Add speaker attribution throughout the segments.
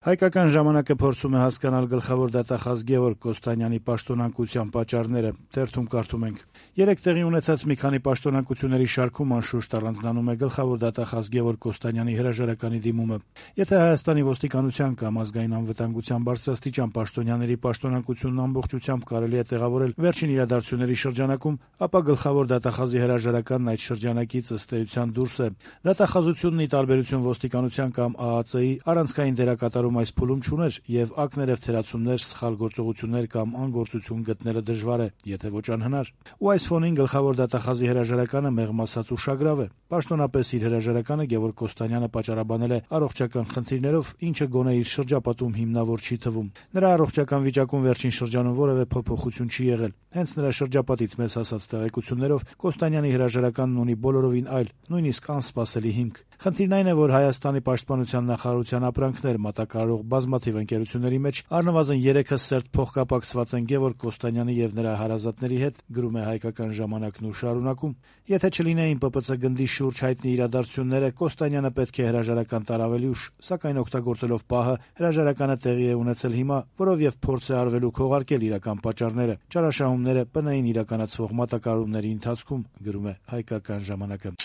Speaker 1: Հայկական ժամանակը փորձում է հասկանալ գլխավոր դատախազ Գևորգ Կոստանյանի պաշտոնանկության պատճառները։ Թերթում կարդում ենք. երեկ տեղի ունեցած մի քանի պաշտոնանկությունների շարքում անշուշտ առանձնանում է գլխավոր դատախազ Գևորգ Կոստանյանի հրաժարականի դիմումը։ Եթե Հայաստանի ոստիկանության կամ ազգային անվտանգության բարձրաստիճան պաշտոնյաների պաշտոնանկությունն ամբողջությամբ կարելի է տեղավորել վերջին իրադարձությունների շրջանակում, ապա գլխավոր դատախազի հրաժարականն այդ շրջանակից ըստ էության դուրս է։ Դատախազությունն ի տարբերություն ոստիկանության կամ ԱԱԾ-ի առանցքային դերակատարում այս փուլում չուներ եւ ակներեւ թերացումներ, սխալ գործողություններ կամ անգործություն գտնելը դժվար է, եթե ոչ անհնար։ Ու այս ֆոնին գլխավոր դատախազի հրաժարականը մեղմ ասած ուշագրավ է։ Պաշտոնապես իր հրաժարականը Գևորգ Կոստանյանը պատճառաբանել է առողջական խնդիրներով, ինչը գոնե իր շրջապատում հիմնավոր չի թվում։ Նրա առողջական վիճակում վերջին շրջանում որևէ փոփոխություն չի եղել։ Հենց նրա շրջապատից մեզ հասած տեղեկություններով Կոստանյանի հրաժարականն ունի բոլորովին այլ, նույնիսկ անսպասելի հիմք։ Խնդիրն այն է, որ Հայաստանի պաշտպանության նախարարության ապրանքներ մատակարարող բազմաթիվ ընկերությունների մեջ առնվազն 3-ը սերտ փոխկապակցված են Գևորգ Կոստանյանի եւ նրա հարազատների հետ, գրում է Հայկական ժամանակն ու շարունակում. եթե չլինեին ՊՊՑ գնդի շուրջ հայտնի իրադարձությունները, Կոստանյանը պետք է հրաժարական տար ավելի ուշ, սակայն օգտագործելով պահը հրաժարականը տեղի է ունեցել հիմա, որով եւ փորձ է արվելու քողարկել իրական պատճառները, ճարաշահումները ՊՆ-ին իրականացվող մատակարարումների ընթացքում, գրում է Հայկական ժամանակը։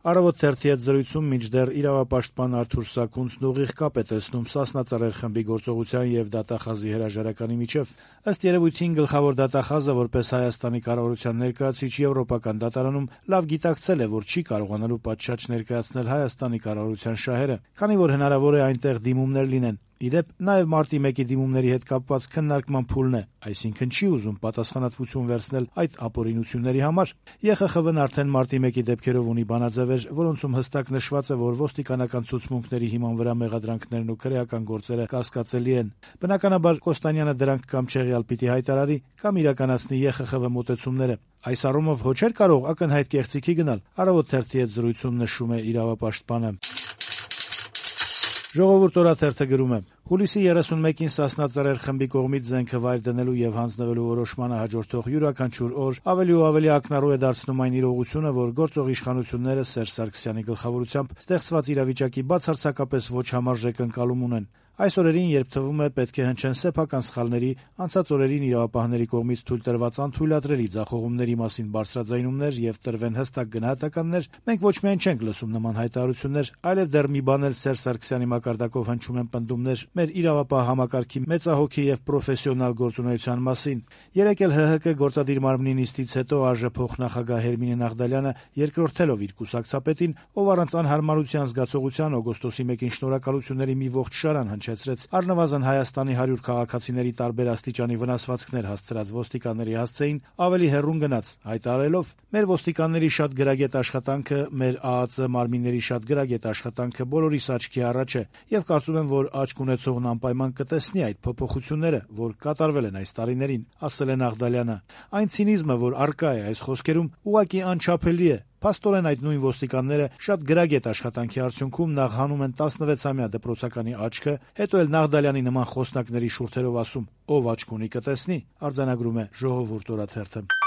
Speaker 1: Առավոտ թերթի հետ զրույցում մինչդեռ իրավապաշտպան Արթուր Սաքունցն ուղիղ կապ է տեսնում Սասնա Ծռեր խմբի գործողության եւ դատախազի հրաժարականի միջև։ Ըստ երևույթին գլխավոր դատախազը որպես Հայաստանի կառավարության ներկայացուցիչ Եվրոպական դատարանում լավ գիտակցել է, որ չի կարողանալու պատշաճ ներկայացնել Հայաստանի կառավարության շահերը, քանի որ հնարավոր է այնտեղ դիմումներ լինեն։ Իդեպ նաեւ մարտի 1-ի դիմումների հետ կապված քննարկման փուլն է, այսինքն չի ուզում պատասխանատվություն վերցնել այդ ապօրինությունների համար։ ԵԽԽՎ-ն արդեն մարտի 1-ի դեպքերով ունի բանաձևեր, որոնցում հստակ նշված է, որ ոստիկանական ցուցմունքների հիման վրա մեղադրանքներն ու քրեական գործերը կասկածելի են։ Բնականաբար Կոստանյանը դրանք կամ չեղյալ պիտի հայտարարի, կամ իրականացնի ԵԽԽՎ մոտեցումները։ Այս առումով ոչ էր կարող ակնհայտ կեղծիքի գնալ, Առավոտ թերթի հետ զրույցում նշում է իրավապաշտպանը։ Ժողովուրդ օրաթերթը գրում է. հուլիսի 31-ին Սասնա Ծռեր խմբի կողմից զենքը վայր դնելու եւ հանձնվելու որոշմանը հաջորդող յուրաքանչյուր օր ավելի ու ավելի ակնառու է դարձնում այն իրողությունը, որ գործող իշխանությունները Սերժ Սարգսյանի գլխավորությամբ ստեղծված իրավիճակի բացարձակապես ոչ համարժեք ընկալում ունեն։ Այս օրերին, երբ թվում է պետք է հնչեն սեփական սխալների, անցած օրերին իրավապահների կողմից թույլ տրված անթույլատրելի ձախողումների մասին բարձրաձայնումներ եւ տրվեն հստակ գնահատականներ, մենք ոչ միայն չենք լսում նման հայտարարություններ, այլև դեռ մի բան էլ Սերժ Սարգսյանի մակարդակով հնչում են պնդումներ մեր իրավապահ համակարգի մեծահոգի եւ պրոֆեսիոնալ գործունեության մասին։ Երեկ էլ ՀՀԿ գործադիր մարմնի նիստից հետո ԱԺ փոխնախագահ Հերմինե Նաղդալյանը երկրորդելով իր կուսակցապետին, ով առանց անհարմարության զգացողության օգոստոսի 1-ին շնորհակալությունների մի ողջ շարան հնչեցրեց առնվազն Հայաստանի 100 քաղաքացիների տարբեր աստիճանի վնասվածքներ հասցրած ոստիկանների հասցեին, ավելի հեռուն գնաց, հայտարարելով. մեր ոստիկանների շատ գրագետ աշխատանքը, մեր ԱԱԾ մարմինների շատ գրագետ աշխատանքը բոլորիս աչքի առաջ է, եւ կարծում եմ, որ աչք ունեցողն անպայման կտեսնի այդ փոփոխությունները, որ կատարվել են այս տարիներին, ասել է Նաղդալյանը։ Այն ցինիզմը, որ առկա է այս խոսքերում, ուղղակի անչափելի է։ Փաստորեն այդ նույն ոստիկանները շատ գրագետ աշխատանքի արդյունքում նախ հանում են 16-ամյա դպրոցականի աչքը, հետո էլ Նաղդալյանի նման խոսնակների շուրթերով ասում. ով աչք ունի կտեսնի, արձանագրում է Ժողովուրդ օրաթերթը։